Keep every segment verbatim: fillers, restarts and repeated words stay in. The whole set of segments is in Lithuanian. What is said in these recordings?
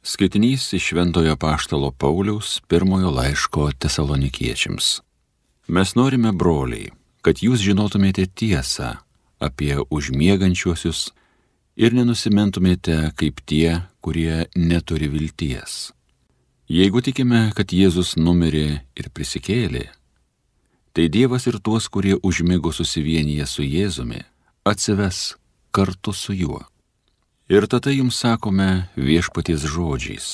Skaitinys iš Šventojo apaštalo Pauliaus pirmojo laiško Tesalonikiečiams. Mes norime, broliai, kad jūs žinotumėte tiesą apie užmiegančiuosius ir nenusimentumėte kaip tie, kurie neturi vilties. Jeigu tikime, kad Jėzus numirė ir prisikėlė, tai Dievas ir tuos, kurie užmigo susivienyje su Jėzumi, atsives kartu su juo. Ir tada jums sakome viešpaties žodžiais,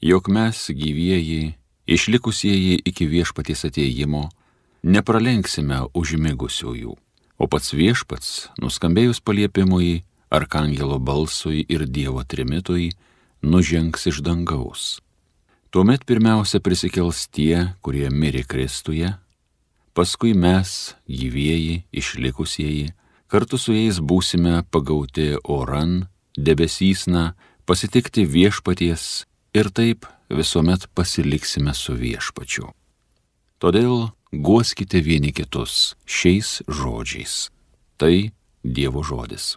jog mes gyvieji, išlikusieji iki viešpaties atėjimo, nepralenksime užmigusiųjų, o pats viešpats, nuskambėjus paliepimui, arkangelo balsui ir Dievo trimitui, nužengs iš dangaus. Tuomet pirmiausia prisikels tie, kurie mirė Kristuje, paskui mes, gyvieji, išlikusieji, kartu su jais būsime pagauti oran, debesysna, pasitikti viešpaties ir taip visuomet pasiliksime su viešpačiu. Todėl guoskite vieni kitus šiais žodžiais. Tai Dievo žodis.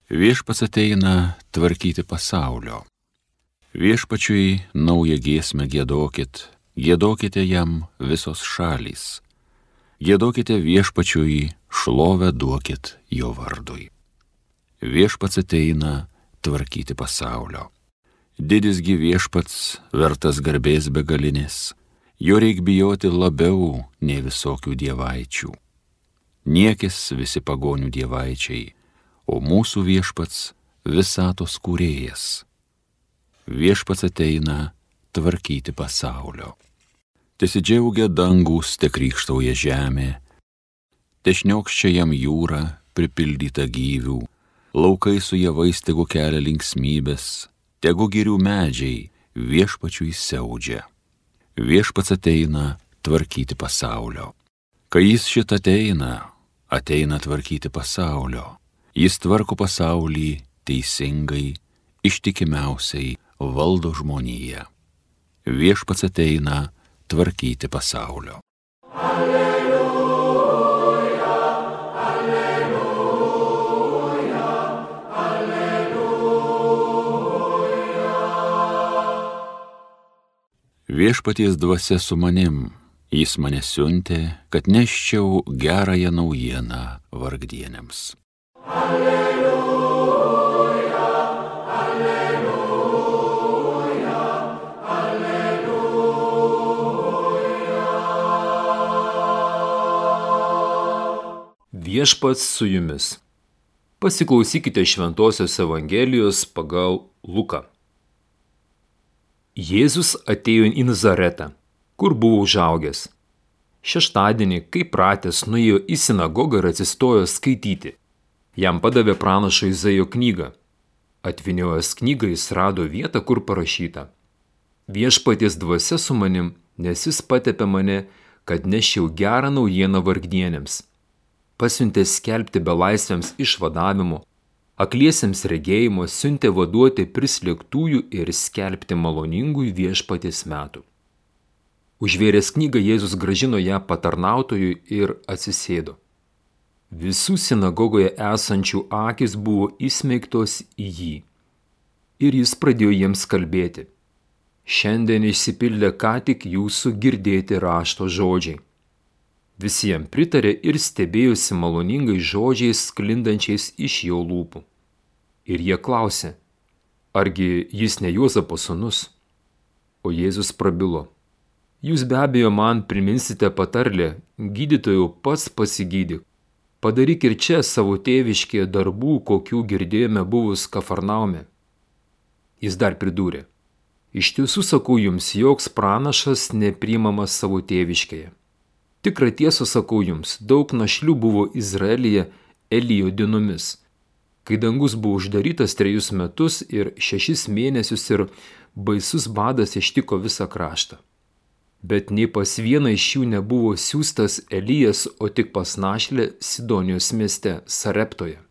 Viešpats ateina tvarkyti pasaulio. Viešpačiui naują giesmę giedokit, giedokite jam visos šalys. Giedokite viešpačiui, šlovę duokit jo vardui. Viešpats ateina tvarkyti pasaulio. Didisgi viešpats, vertas garbės begalinės, jo reik bijoti labiau nei visokių dievaičių. Niekis visi pagonių dievaičiai, o mūsų viešpats visatos kūrėjas. Viešpats ateina tvarkyti pasaulio. Tesidžiaugia dangūs, te krykštauja žemė, te šniokščia jam jūra, pripildyta gyvių, laukai su javais tegu kelia linksmybės, tegu girių medžiai viešpačiui siaudžia. Viešpats ateina tvarkyti pasaulio. Kai jis šit ateina, ateina tvarkyti pasaulio. Jis tvarko pasaulį teisingai, ištikimiausiai valdo žmoniją. Viešpats ateina tvarkyti pasaulio. Alleluja, alleluja, alleluja. Viešpaties dvasia su manim, jis mane siuntė, kad neščiau gerąją naujieną vargdieniams. Alleluja, alleluja, Viešpats su jumis. Pasiklausykite Šventosios Evangelijos pagal Luką. Jėzus atėjo į Nazaretą, kur buvo užaugęs. Šeštadienį, kaip pratęs, nuėjo į sinagogą ir atsistojo skaityti. Jam padavė pranašo Izaijo knygą. Atviniojęs knygą jis rado vietą, kur parašyta: Viešpaties dvasia su manim, nes jis patepė mane, kad neščiau gerą naujieną vargdienėms. Pasiuntė skelbti belaisviams išvadavimo, akliesiems regėjimo, siuntė vaduoti prislėgtųjų ir skelbti maloningųjų viešpaties metų. Užvėręs knygą Jėzus grąžino ją patarnautojui ir atsisėdo. Visų sinagogoje esančių akys buvo įsmeigtos į jį. Ir jis pradėjo jiems kalbėti: Šiandien išsipildė ką tik jūsų girdėti rašto žodžiai. Visi jam pritarė ir stebėjosi maloningais žodžiais sklindančiais iš jo lūpų. Ir jie klausė: Argi jis ne Juozapo sūnus? O Jėzus prabilo: Jūs be abejo man priminsite patarlę: Gydytojau, pats pasigydyk. Padaryk ir čia savo tėviškėje darbų, kokių girdėjome buvus Kafarnaume. Jis dar pridūrė: Iš tiesų sakau jums, joks pranašas nepriimamas savo tėviškėje. Tikrą tiesą sakau jums, daug našlių buvo Izraelyje Elijo dienomis, kai dangus buvo uždarytas trejus metus ir šešis mėnesius ir baisus badas ištiko visą kraštą. Bet nei pas vieną iš jų nebuvo siųstas Elijas, o tik pas našlę Sidonijos mieste Sareptoje.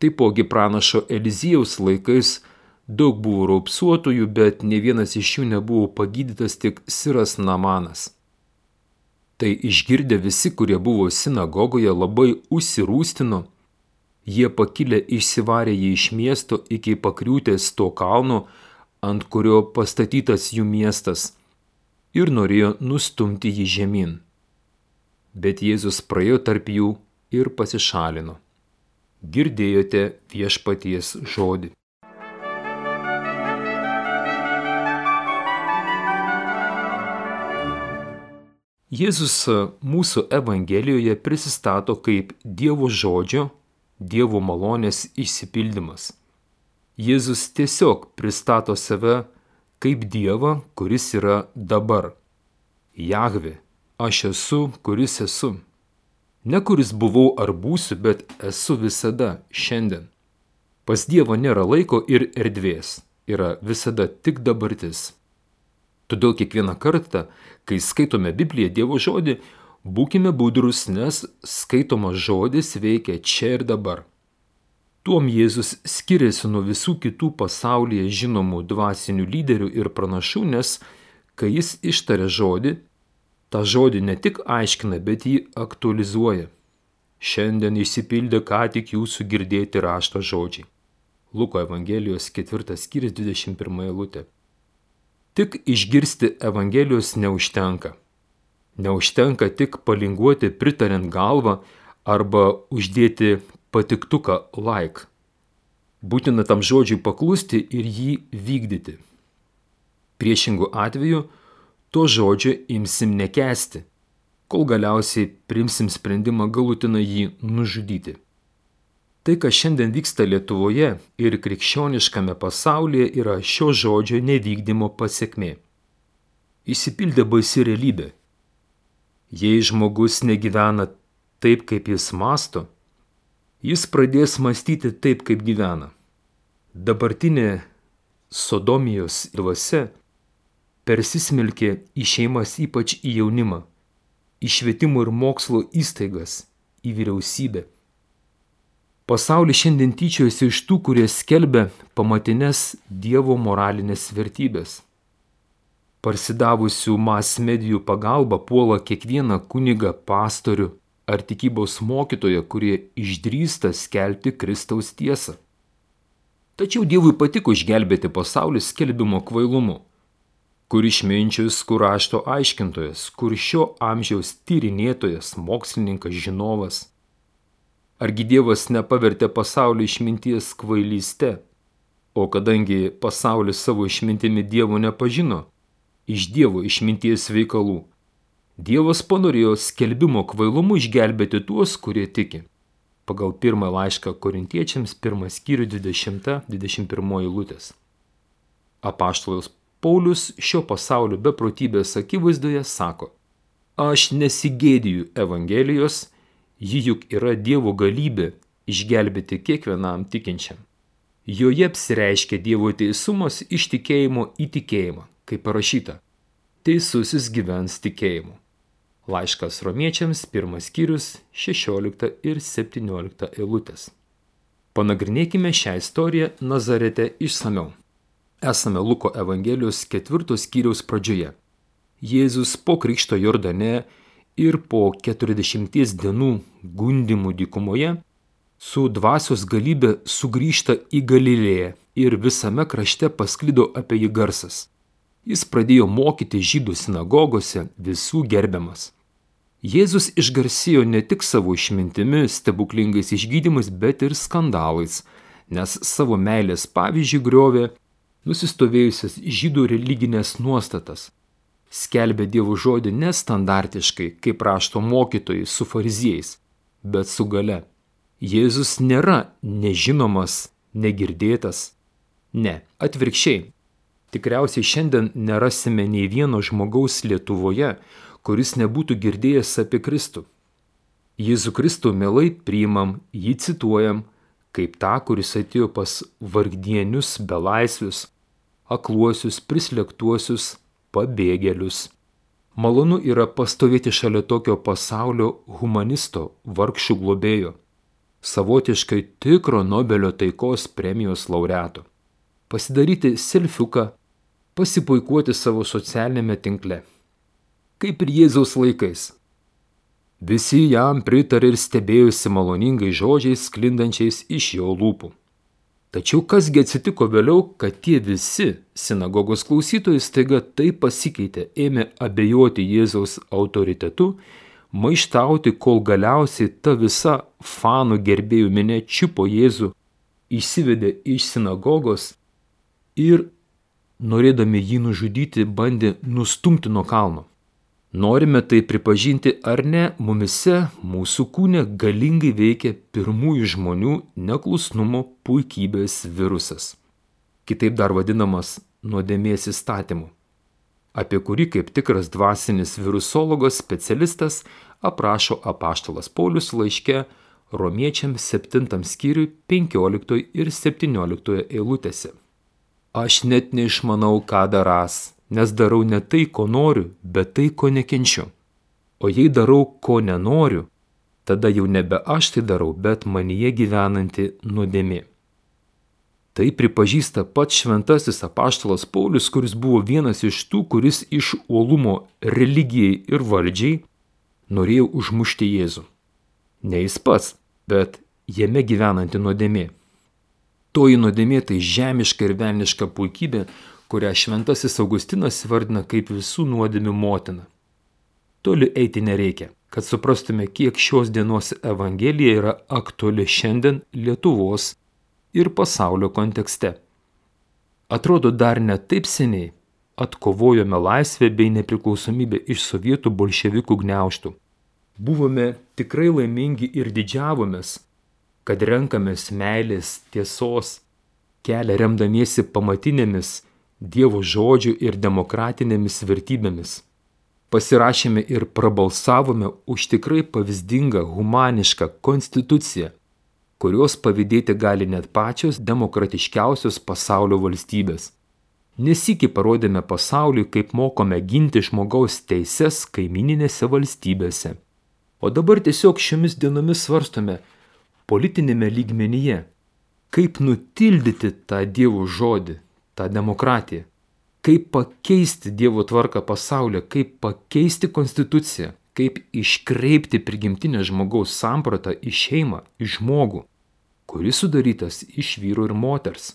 Taipogi pranašo Elizijaus laikais daug buvo raupsuotojų, bet ne vienas iš jų nebuvo pagydytas, tik Siras Namanas. Tai išgirdę visi, kurie buvo sinagogoje, labai užsirūstino Jie pakilę išsivarė jį iš miesto iki pakriūtės to kalno, ant kurio pastatytas jų miestas, ir norėjo nustumti jį žemyn. Bet Jėzus praėjo tarp jų ir pasišalino. Girdėjote viešpaties žodį. Jėzus mūsų Evangelijoje prisistato kaip Dievo žodžio, Dievo malonės išsipildymas. Jėzus tiesiog pristato save kaip Dievą, kuris yra dabar. Jahvė, aš esu, kuris esu. Ne kuris buvau ar būsiu, bet esu visada, šiandien. Pas Dievą nėra laiko ir erdvės, yra visada tik dabartis. Todėl kiekvieną kartą, kai skaitome Bibliją, Dievo žodį, būkime budrus, nes skaitomas žodis veikia čia ir dabar. Tuom Jėzus skiriasi nuo visų kitų pasaulyje žinomų dvasinių lyderių ir pranašų, nes kai jis ištaria žodį, tą žodį ne tik aiškina, bet jį aktualizuoja. Šiandien išsipildė ką tik jūsų girdėti rašto žodžiai. Luko Evangelijos ketvirtas skyrius dvidešimt pirma eilutė. Tik išgirsti Evangelijos neužtenka. Neužtenka tik palinguoti pritariant galvą arba uždėti patiktuką like. Būtina tam žodžiui paklusti ir jį vykdyti. Priešingų atveju to žodžio imsim nekęsti, kol galiausiai priimsim sprendimą galutinai jį nužudyti. Tai, kas šiandien vyksta Lietuvoje ir krikščioniškame pasaulyje, yra šio žodžio nevykdymo pasekmė. Išsipildė baisi realybė. Jei žmogus negyvena taip, kaip jis mąsto, jis pradės mąstyti taip, kaip gyvena. Dabartinė sodomijos dvasia persismelkė į šeimas, ypač į jaunimą, į švietimo ir mokslo įstaigas, į vyriausybę. Pasaulis šiandien tyčiojasi iš tų, kurie skelbia pamatines Dievo moralinės vertybės. Parsidavusių mas medijų pagalba puola kiekvieną kunigą, pastorių ar tikybos mokytoją, kurie išdrįsta skelbti Kristaus tiesą. Tačiau Dievui patiko išgelbėti pasaulį skelbimo kvailumu. Kur išminčius, kur rašto aiškintojas, kur šio amžiaus tyrinėtojas, mokslininkas, žinovas. Argi Dievas nepavertė pasaulį išminties kvailyste, o kadangi pasaulis savo išmintimi Dievo nepažino, iš Dievo išminties veikalų, Dievas panorėjo skelbimo kvailumu išgelbėti tuos, kurie tiki. Pagal pirmą laišką Korintiečiams, pirmas skyrius dvidešimta dvidešimt pirma eilutės. Apaštalas Paulius šio pasaulio beprotybės akivaizdoje sako: Aš nesigėdiju Evangelijos, ji juk yra Dievo galybė išgelbėti kiekvienam tikinčiam. Joje apsireiškia Dievo teisumas iš tikėjimo į tikėjimą, kaip parašyta: Teisusis gyvens tikėjimu. Laiškas Romiečiams, pirmas skyrius, šešiolikta ir septyniolikta eilutės. Panagrinėkime šią istoriją Nazarete išsamiau. Esame Luko Evangelijos ketvirtos skyriaus pradžioje. Jėzus po krikšto Jordane ir po keturiasdešimties dienų gundymų dykumoje su dvasios galybė sugrįžta į Galilėją ir visame krašte pasklido apie jį garsas. Jis pradėjo mokyti žydų sinagogose, visų gerbiamas. Jėzus išgarsėjo ne tik savo išmintimi, stebuklingais išgydymais, bet ir skandalais, nes savo meilės pavyzdžiui griovė nusistovėjusias žydų religinės nuostatas. Skelbė Dievo žodį nestandartiškai, kaip rašto mokytojai su fariziejais, bet su galia. Jėzus nėra nežinomas, negirdėtas. Ne, atvirkščiai. Tikriausiai šiandien nerasime nei vieno žmogaus Lietuvoje, kuris nebūtų girdėjęs apie Kristų. Jėzų Kristų mielai priimam, jį cituojam, kaip tą, kuris atėjo pas vargdienius, belaisvius, akluosius, prislėgtuosius, pabėgėlius. Malonu yra pastovėti šalia tokio pasaulio humanisto, vargšų globėjo, savotiškai tikro Nobelio taikos premijos laureato. Pasidaryti selfiuką, pasipuikuoti savo socialinėme tinkle. Kaip ir Jėzaus laikais. Visi jam pritarė ir stebėjusi maloningai žodžiais sklindančiais iš jo lūpų. Tačiau kasgi atsitiko vėliau, kad tie visi sinagogos klausytojai staiga taip pasikeitė, ėmė abejoti Jėzaus autoritetu, maištauti, kol galiausiai ta visa fanų gerbėjų minia čiupo Jėzų, išsivedė iš sinagogos ir, norėdami jį nužudyti, bandė nustumti nuo kalno. Norime tai pripažinti ar ne, mumise, mūsų kūne galingai veikia pirmųjų žmonių neklusnumo puikybės virusas, kitaip dar vadinamas nuodėmės įstatymu, apie kurį kaip tikras dvasinis virusologas specialistas aprašo apaštalas Paulius laiške Romiečiams septintam skyriui penkioliktoje ir septynioliktoje eilutėse. Aš net neišmanau, ką darąs, nes darau ne tai, ko noriu, bet tai, ko nekenčiu. O jei darau, ko nenoriu, tada jau nebe aš tai darau, bet manyje gyvenanti nuodėmė. Tai pripažįsta pats šventasis apaštalas Paulius, kuris buvo vienas iš tų, kuris iš uolumo religijai ir valdžiai norėjo užmušti Jėzų. Ne jis pats, bet jame gyvenanti nuodėmė. Toji nuodėmė tai žemiška ir velniška puikybė, kurią šventasis Augustinas vardina kaip visų nuodėmių motina. Toli eiti nereikia, kad suprastume, kiek šios dienos Evangelija yra aktuali šiandien Lietuvos ir pasaulio kontekste. Atrodo, dar ne taip seniai atkovojome laisvę bei nepriklausomybę iš sovietų bolševikų gniaužtų. Buvome tikrai laimingi ir didžiavomės, kad renkamės meilės, tiesos kelią remdamiesi pamatinėmis Dievo žodžių ir demokratinėmis vertybėmis. Pasirašėme ir prabalsavome už tikrai pavyzdingą humanišką konstituciją, kurios pavydėti gali net pačios demokratiškiausios pasaulio valstybės. Nesykį parodėme pasauliui, kaip mokome ginti žmogaus teises kaimininėse valstybėse. O dabar tiesiog šiomis dienomis svarstome politinėme lygmenyje, kaip nutildyti tą Dievo žodį, tą demokratiją, kaip pakeisti Dievo tvarką pasaulyje, kaip pakeisti konstituciją, kaip iškreipti prigimtinę žmogaus sampratą į šeimą, į žmogų, kuris sudarytas iš vyro ir moters.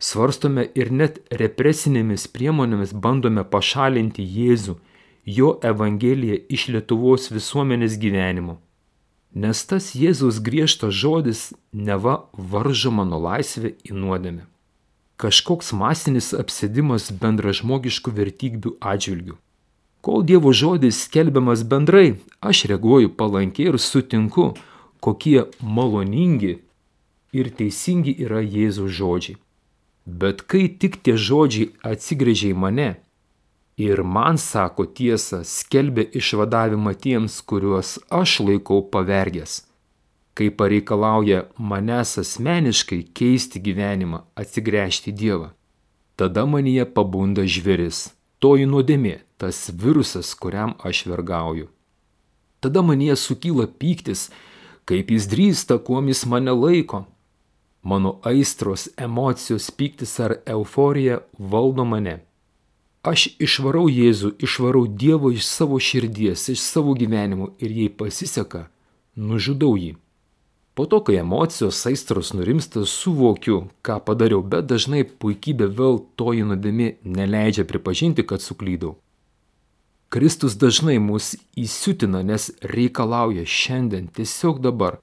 Svarstome ir net represinėmis priemonėmis bandome pašalinti Jėzų, jo Evangeliją iš Lietuvos visuomenės gyvenimo. Nes tas Jėzaus griežtas žodis neva varžo mano laisvę į nuodėmę. Kažkoks masinis apsėdimas bendražmogiškų vertybių atžvilgių. Kol Dievo žodis skelbiamas bendrai, aš reaguoju palankiai ir sutinku, kokie maloningi ir teisingi yra Jėzaus žodžiai. Bet kai tik tie žodžiai atsigręžia į mane ir man sako tiesą, skelbia išvadavimą tiems, kuriuos aš laikau pavergęs, kai pareikalauja manęs asmeniškai keisti gyvenimą, atsigręžti Dievą, tada manyje pabunda žvėris, toji nuodėmė, tas virusas, kuriam aš vergauju. Tada manyje sukyla pyktis, kaip jis drįsta, kuom jis mane laiko. Mano aistros, emocijos, pyktis ar euforija valdo mane. Aš išvarau Jėzų, išvarau Dievo iš savo širdies, iš savo gyvenimo ir jei pasiseka, nužudau jį. Po to, kai emocijos, aistros nurimsta, suvokiu, ką padariau, bet dažnai puikybė vėl toji nuodėmė neleidžia pripažinti, kad suklydau. Kristus dažnai mus įsiutina, nes reikalauja šiandien, tiesiog dabar,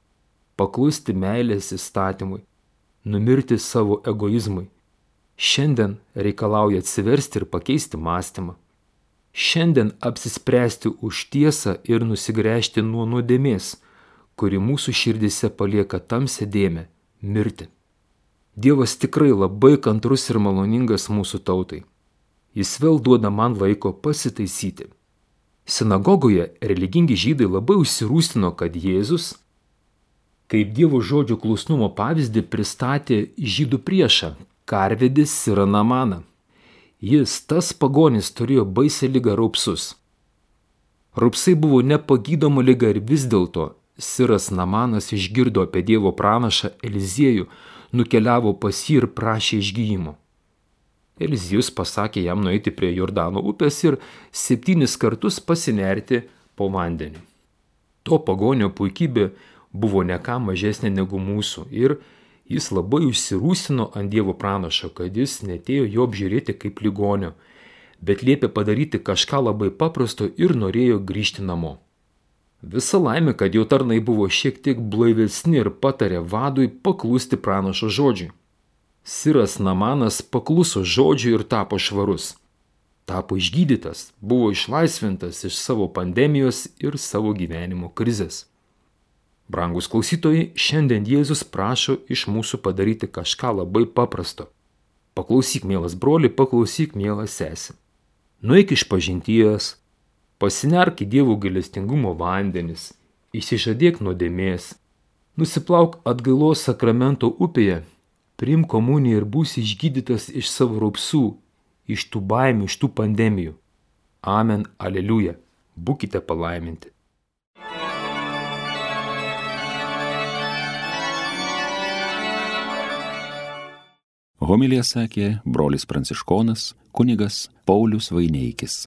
paklusti meilės įstatymui, numirti savo egoizmui. Šiandien reikalauja atsiversti ir pakeisti mąstymą. Šiandien apsispręsti už tiesą ir nusigręžti nuo nuodėmės, kuri mūsų širdise palieka tamsią dėmę – mirti. Dievas tikrai labai kantrus ir maloningas mūsų tautai. Jis vėl duoda man laiko pasitaisyti. Sinagogoje religingi žydai labai užsirūstino, kad Jėzus, kaip Dievo žodžio klusnumo pavyzdį, pristatė žydų priešą – karvedį Sirą Namaną. Jis, tas pagonis, turėjo baisią ligą raupsus. Raupsai buvo nepagydoma liga ir vis dėlto Siras Namanas išgirdo apie Dievo pranašą Eliziejų, nukeliavo pas jį ir prašė išgyjimo. Elizijus pasakė jam nueiti prie Jordano upės ir septynis kartus pasinerti po vandenį. To pagonio puikybė buvo ne ką mažesnė negu mūsų ir jis labai užsirūsino ant Dievo pranašo, kad jis netėjo jo apžiūrėti kaip ligonio, bet liepė padaryti kažką labai paprasto ir norėjo grįžti namo. Visa laimė, kad jo tarnai buvo šiek tiek blaivesni ir patarė vadui paklusti pranašo žodžiui. Siras Namanas pakluso žodžiui ir tapo švarus. Tapo išgydytas, buvo išlaisvintas iš savo pandemijos ir savo gyvenimo krizės. Brangus klausytojai, šiandien Jėzus prašo iš mūsų padaryti kažką labai paprasto. Paklausyk, mielas broli, paklausyk, mielas sesė. Nueik iš pažinties, pasinerk į Dievo gailestingumo vandenis, išsižadėk nuodėmės, nusiplauk atgailos sakramento upėje, priimk komuniją ir būsi išgydytas iš savo raupsų, iš tų baimių, iš tų pandemijų. Amen, aleliuja. Būkite palaiminti. Homiliją sakė brolis pranciškonas kunigas Paulius Vaineikis.